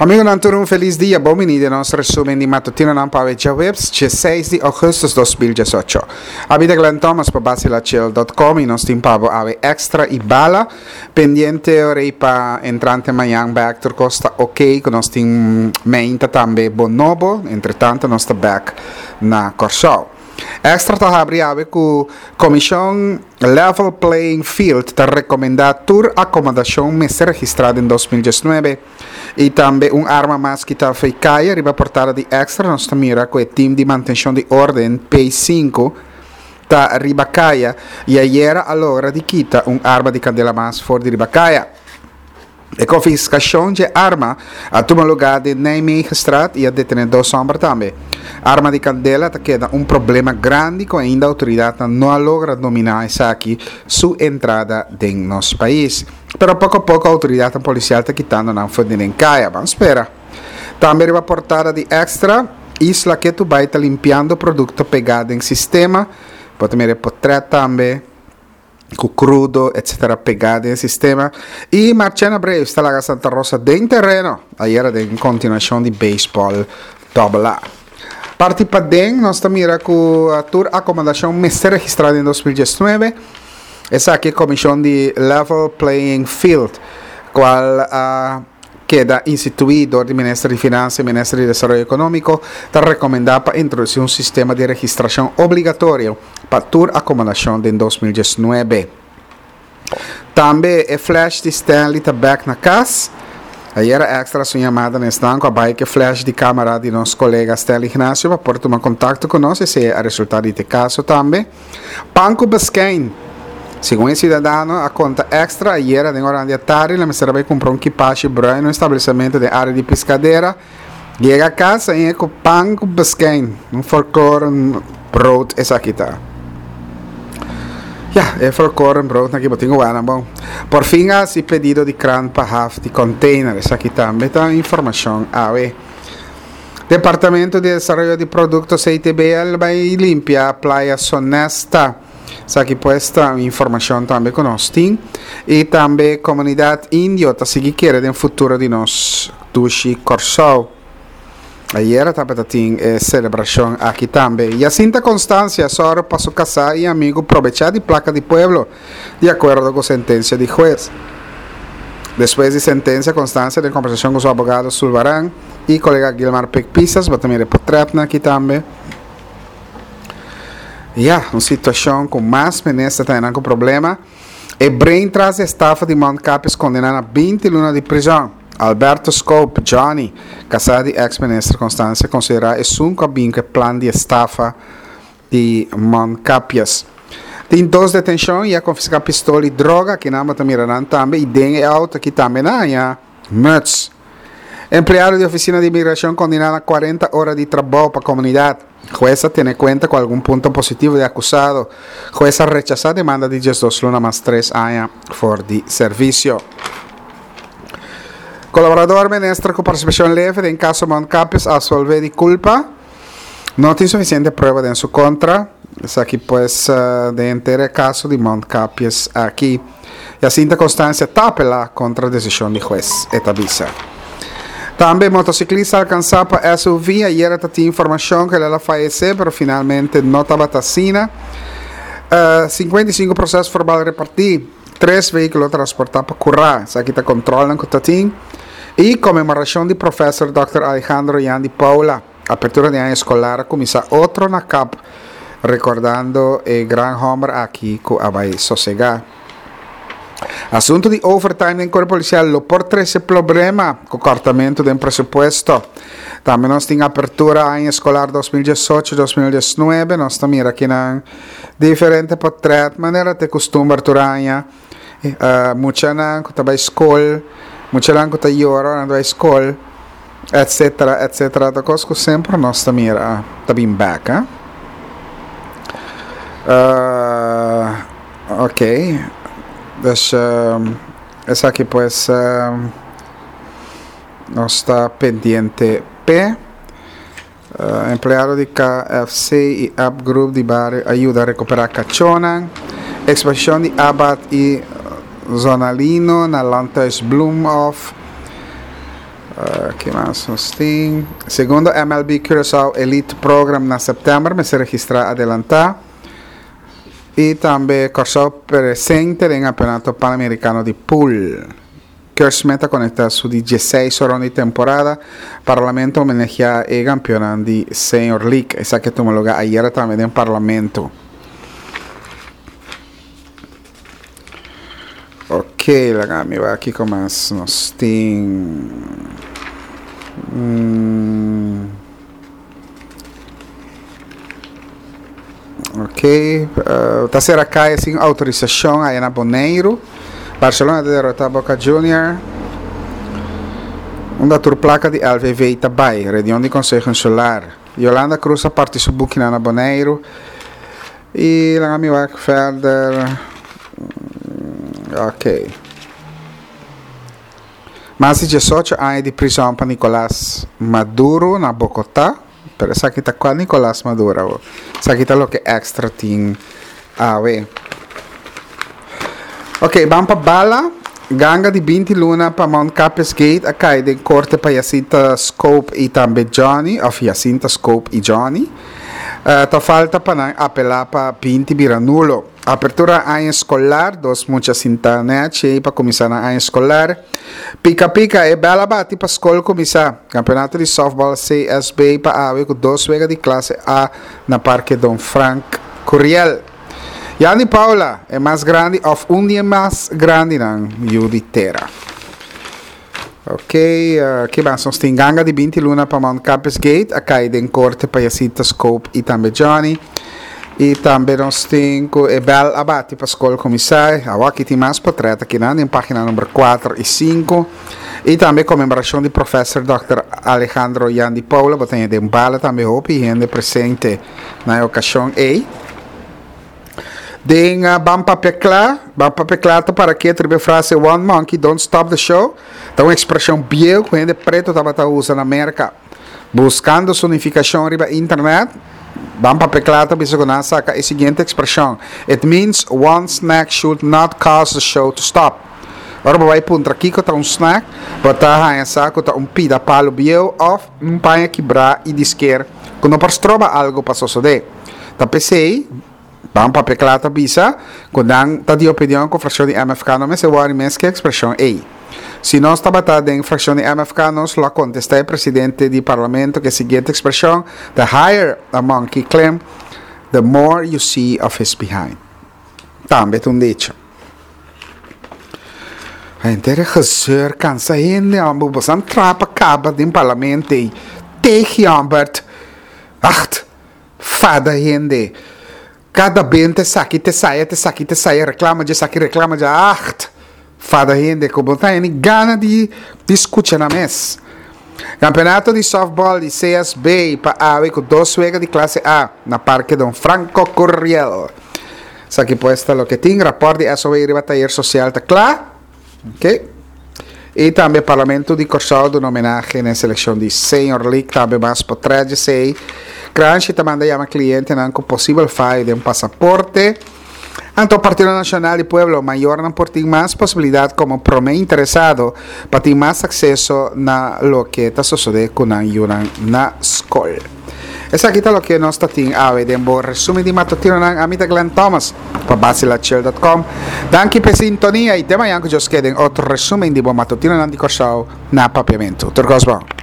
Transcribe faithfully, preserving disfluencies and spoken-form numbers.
Amigonan, tur un felis dia. Bon bini den nos resumen di matutinonan pa djaweps, seis di ougùstùs dos mil diesocho. Ami ta Glenn Thomas pa basilachel punto com i nos tin pa bo awe Extra i Bala. Pendiente ora pa entrante mañan back tur kos ta ok, ku nos tin mainta tambe bonobo, entretantu nos ta back na Kòrsou. Extra ta habri awe ku Komishon Level Playing Field ta rekomendá tur akomodashon mester registrá den dos mil diesnuebe. I tambe un arma mas kitá fo'i kaya. Riba portada di Extra nos ta mira ku e team di mantenshon di orden P sinku ta riba kaya i ayera a logra di kita un arma di kandela mas for di riba kaya. E konfiskashon di arma a tuma lugá na Nijmegenstraat i a detené dos hòmber tambe. Arma di kandela ta keda un problema grandi ku ainda outoridat no a logra dominá esaki su entrada den nos pais. Pero poko poko outoridat polisial ta kitando nan for di kaya. Ban spera. Tambe riba portada di Extra, Isla ketu bai ta limpiando produkto pegá den sistema. Por mira portrèt tambe ku krudo, etcétera pegá den sistema. I Marchena Braves ta laga Santa Rosa den tereno. Ayera den kontinuashon di beisbòl Double A. Parti paden, nos ta mira ku tur akomodashon mester registrá den dos mil diesnuebe. Esaki komishon di Level Playing Field, kual uh, keda instituí dor di Minister di Finansa i Minister di Desaroyo Ekonómiko, ta rekomendá pa introdusí un sistema di registrashon obligatorio pa tur akomodashon den dos mil diesnuebe. Tambe e flash di Stanley ta back na kas. Ayera Extra su yamada na esnan ku a bai ku flash di kamera di nos kolega Stanley Ignacio pa por tuma kontakto ku nos, esei a resultá di e kaso tambe. Pan ku beskein. Segun e siudadano a konta Extra, ayera den ora di atardi, el a bai kumpra un kipashi bruin na un establesimentu den área di Piscadera. Yega kas i ku pan ku beskein, un volkoren brood esaki ta. Ja, e volkoren brood aki bo tin ku bon. Por fin hasi pedido di kran pa haf di container, esaki tambe ta informashon awe. Departamento di Desaroyo di Produkto C T B L bai limpia Playa Sonesta. Esaki pues ta informashon tambe ku nos tin. I tambe komunidat indio ta sigui kere den futuro di nos dushi Kòrsou. Ayera tabata tin eh, selebrashon aki tambe. Jacinta Constancia, sòru pa su kasá i amigu probechá di plaka di pueblo, di akuerdo ku sentensia di hues. Despues di sentensia, Constancia, den kombersashon ku su abogado Sulvaran i kolega Gilmar Pik Pisas, bo ta mira portrèt aki tambe. Ja, un situashon ku mas minister ta ku problema. E brain tras estafa di Mount Capes kondená na binti luna di prizòn. Alberto Scope, Johnny, kasá di ex-minister Constancia, konsiderá esun ku a plan di estafa di Mount Capias. Tin dos detenshon i a konfiská pistola i droga, ku nan ta mira tambe, i den outo aki tambe na ya, muts. Empleado di ofisina di imigrashon kondená na kuarenta ora di trabou pa komunidat. Hues a tene kuenta ku algun punto positivo di akusado. Hues a rechasá demanda di diesdos luna mas tres aña for di servisio. Kolaborador minister ku partisipashon leve den kaso Mount Capes absolvé di kulpa. No tin sufisiente prueba den su kontra. Esaki pues uh, den henter kaso di Mount Capes aki. Jacinta Constancia ta apelá kontra desishon di hues, e ta bisa. Tambe motosiklista alkansá pa S U V, ayera tin informashon ku el a fayesé, pero finalmente no tabata asina. Uh, sinkuenta i sinku proseso verbal repartí, tres vehíkulo transportá pa kurá, esaki ta kontrol ku tin. I konmemorashon di profesor Dòkter Alejandro Yandi Paula. Apertura di aña eskolar kuminsá otro na CAP, rekordando e gran hòmber aki ku a bai sosegá. Asuntu di overtime den kuerpo polisial lo por trese problema ku kortamentu di presupuesto. Tambe nos tin apertura aña eskolar dos mil diesocho-dos mil diesnuebe, nos ta mira aki na diferente portrèt, manera ta kustumber tur aña. Uh, muchanan ku ta bai skol, muchanan ku ta yora na skol, etcétera, etcétera. Ta kos ku semper nos ta mira, ta bin back, eh? Uh, ok. Dus um, esaki pues um, nos ta pendiente P. Uh, empleado di K F C i App Group di bario a yuda rekuperá kachónan. Eksposishon di Abat i Zonalino na Landhuis Bloemhof. Uh, ki mas nos tin? Segundo M L B Curaçao Elite Program na sèptèmber, mester registrá adelantá. I tambe Kòrsou presente den Kampeonato Panamerikano di Pool. Kersmet a konektá su di diesseis ronda di temporada. Parlamento a homenaheá e kampeon di Senior League. Esaki a tuma lugá ayera tambe den Parlamento. Ok, laga mi wak kiko mas nos tin. Mm. Ok, uh, ta sera kaya sin outorisashon aya na Boneiru. Barcelona ta derrota Boca Junior. Unda tur plaka di L V V ta bai? Reunion di Konseho Insular. Yolanda Cruz a parti su bukinan na Boneiru. I laga mi wak verder. Ok. Mas di diesocho aña di prizòn pa Nicolás Maduro na Bogotá. Pero esaki ta kua Nicolás Maduro? Esaki ta loke Extra tin awe. Ok, ban pa Bala. Ganga di binti luna pa Mount Capes Gate a kai den korte pa Jacinta Scope i tambe Johnny, òf Jacinta Scope i Johnny. Uh, ta falta pa nan apelá pa binti bira nulo. Apertura aña eskolar, dos mucha sinta nèchi pa kuminsá na aña eskolar. Pika Pika, e bèl a bati pa skol kuminsá. Kampeonato di softball C S B pa awe ku dos wega di klase A na Parke Don Frank Curiel. Yanni Paula, e mas grandi òf un di e mas grandinan yu di tera. Ok, uh, ki mas nos tin? Ganga di binti luna pa Mount Campus Gate, a kai den korte pa Jacinta Scope i tambe Johnny. I tambe nos tin ku e bèl a bati pa skol kuminsá. Aki tin mas portrèt aki na página number kuater i sinku. I tambe konmemorashon di profesor Dòkter Alejandro Yandi Paula, bo tin den Bala tambe hopi hende presente na e okashon ei. Den uh, Ban Papia Kla, Ban Papia Kla ta para ku e frase "One monkey don't stop the show". Ta un ekspreshon bieu ku hende pretu tabata usa na Amérika. Buskando su nifikashon riba internet, Ban Papia Kla ta bisa ku nan a saka e siguiente ekspreshon: "It means one snack should not cause the show to stop." Ora bo bai puntra kiko ta un snack, bo ta haña sa ku ta un pida palu bieu òf un paña kibrá i disker ku no por stroba algu pa sosodé. Ta p'esei, Ban Papia Kla ta bisa, ku nan ta di opinion ku frakshon di M F K no mester wòri mes ku e ekspreshon ei. Si nos tabata den frakshon di M F K, nos lo a kontestá e presidente di parlamento ku e siguiente ekspreshon: "The higher a monkey climb, the more you see of his behind." Tambe ta un dicho. Henter gezeur kansa hende, ambo boso trapa kaba den parlamento ei. Tegen Ambert. Acht, fada hende. Kada bente saki te saia, te saki te saia, reklama de saki, reklama de acht. Fada hende, ku bo ta ni gana di, di skucha nan mes. Kampeonato di softball di C S B pa awe ku dos wega di klase A na Parke Don Franco Curiel. Esaki pues ta loke tin, rapòrt di S O W riba tayer sosial ta kla. Ok. I tambe Parlamento di Kòrsou a duna homenahe na selekshon di Senior League, tambe mas portrèt di esei. Kranshi ta manda yama klientenan ku posibel fayo den pasaporte. Anto Partido Nashonal di Pueblo, mayornan por tin mas posibilidat komo promé interesado pa tin mas akseso na loke ta sosodé ku nan yunan na skol. Esaki ta loke nos tin awe den bo resúmen di matutinonan. Ami ta Glenn Thomas pa basilachill punto com. Danki pa sintonia i te mañan ku Dios ke den otro resúmen di bo matutinonan di Kòrsou na Papiamentu. Tur kos bon.